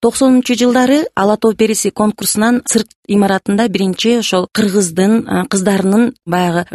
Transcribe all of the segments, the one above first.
90-жылдары Ала Тоо периси конкурсунан цирк имаратында биринчи ошол кыргыздын кыздарынын баягы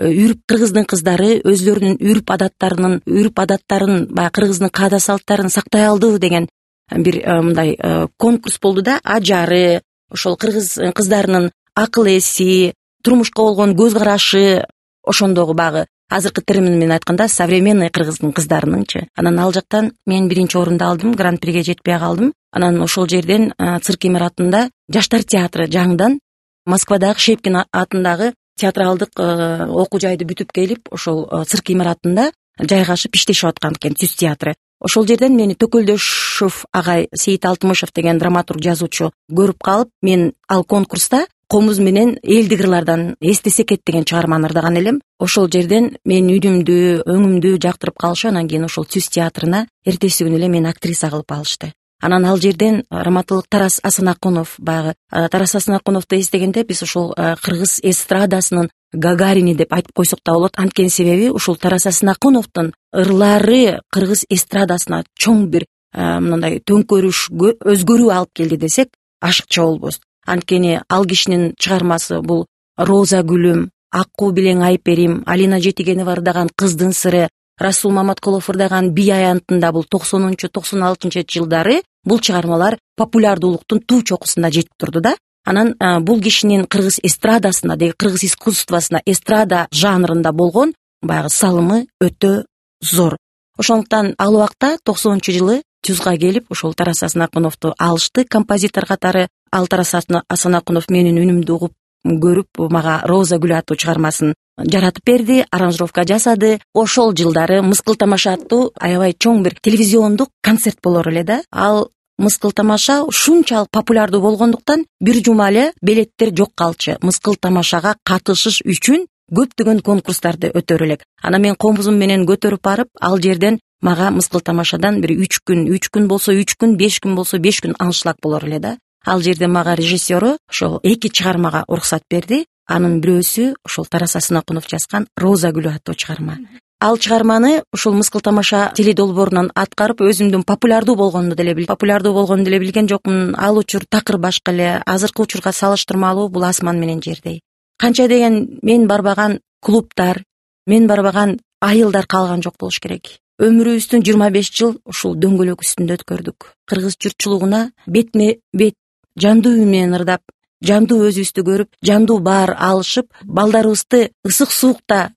кыргыздын кыздары өзлөрүнүн үрп адаттарын баягы кыргыздын каада салттарын сактай алды деген бир мындай конкурс болду да. Ажары, ошол кыргыз кыздарынын акыл эси, турмушка болгон көз карашы, ошондогу баягы азыркы термин менен айтканда современный кыргыздын кыздарыныңчы. Анан ал жактан мен биринчи орунду алдым, гран-приге жетпей калдым. Анан ошол жерден цирк имаратында жаштар театры жаңыдан Москвадагы Шепкин атындагы театралдык окуу жайды бүтүп келип, ошол цирк имаратында жайгашып иштешип аткан экен, түз театры. Ошол жерден мени Төкөлдөшов агай, Сейит Алтымышев деген драматург жазуучу көрүп калып, мен ал конкурста Комуз менен элдик ырлардан эстесе кет деген чыгарманы ырдаган элем. Ошол жерден менин үнүмдү, өңүмдү жактырып калышып, анан кийин ошол түз театрына эртеси күнү эле мени актриса кылып алышты. Анан ал жерден раматылык Тарас Асанакунов, баягы Тарас Асанакуновду эстегенде биз ошол кыргыз эстрадасынын Гагарини деп айтып койсок да болот. Анткени себеби ушул Тарас Асанакуновдун ырлары кыргыз эстрадасына чоң бир мындай төңкөрүш, өзгөрүү алып келди десек ашыкча болбос. Анткени ал кишинин чыгармасы бул Роза гүлүм, Аккуу билең Айперим, Алина Жетигенова ырдаган Кыздын сыры, Расул Маматкулов ырдаган Бий аянтында бул 90-96 жылдары бул чыгармалар популярдуулуктун туу чокусунда жетип турду да. Анан бул кишинин кыргыз эстрадасына, деги кыргыз искусствосуна, эстрада жанрында болгон баягы салымы өтө зор. Ошондуктан ал убакта 90-жылы Түзга келип, ошол Тарас Асанакуновду алышты композитор катары. Ал Тарас Асанакунов менин үнүмдү угуп көрүп, мага Роза гүлү аттуу чыгармасын жаратып берди, аранжировка жасады. Ошол жылдары Мыскыл тамаша аттуу аябай чоң бир телевизиондук концерт болор эле да. Ал Мыскыл тамаша ушунчалык популярдуу болгондуктан бир жума эле билеттер жок калчу. Мыскыл тамашага катышыш үчүн көптөгөн конкурстарды өтөр элек. Анан мен комузум менен көтөрүп барып, ал жерден мага Мыскыл тамашадан бир 3 күн болсо 3 күн, 5 күн болсо 5 күн аншлаг болор эле да. Ал жерде мага режиссеру ошол 2 чыгармага уруксат берди. Анын бирөөсү ошол Тарас Асанакунов жазган Роза гүлү аттуу чыгарма. Ал чыгарманы ушул Мыскыл тамаша теледолбоорунан аткарып, өзүмдүн популярдуу болгонду деле билген жокмун. Ал учур такыр башка эле, азыркы учурга салыштырмалуу бул асман менен жердей. Канча деген мен барбаган клубтар, мен барбаган айылдар калган жок болуш керек. Өмүрүбүздүн 25 жыл ушул дөңгөлөк үстүндө өткөрдүк. Кыргыз журтчулугуна бетме бет жандуу үн менен ырдап, жандуу өзүбүздү көрүп, жандуу баар алышып, балдарыбызды ысык суукта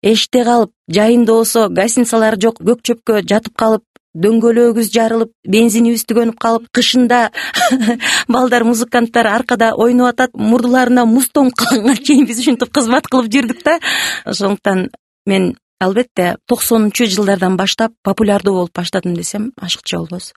эште калып, жайында болсо гостиницалар жок, көк чөпкө жатып калып, дөңгөлөгүбүз жарылып, бензинибиз түгөнүп калып, кышында балдар, музыканттар аркада ойноп атат, мурдуларына муз тоңуп калганга чейин биз ушинтип кызмат кылып жүрдүк да. Ошондуктан мен албетте 90-жылдардан баштап популярдуу болуп баштадым десем ашыкча болбос.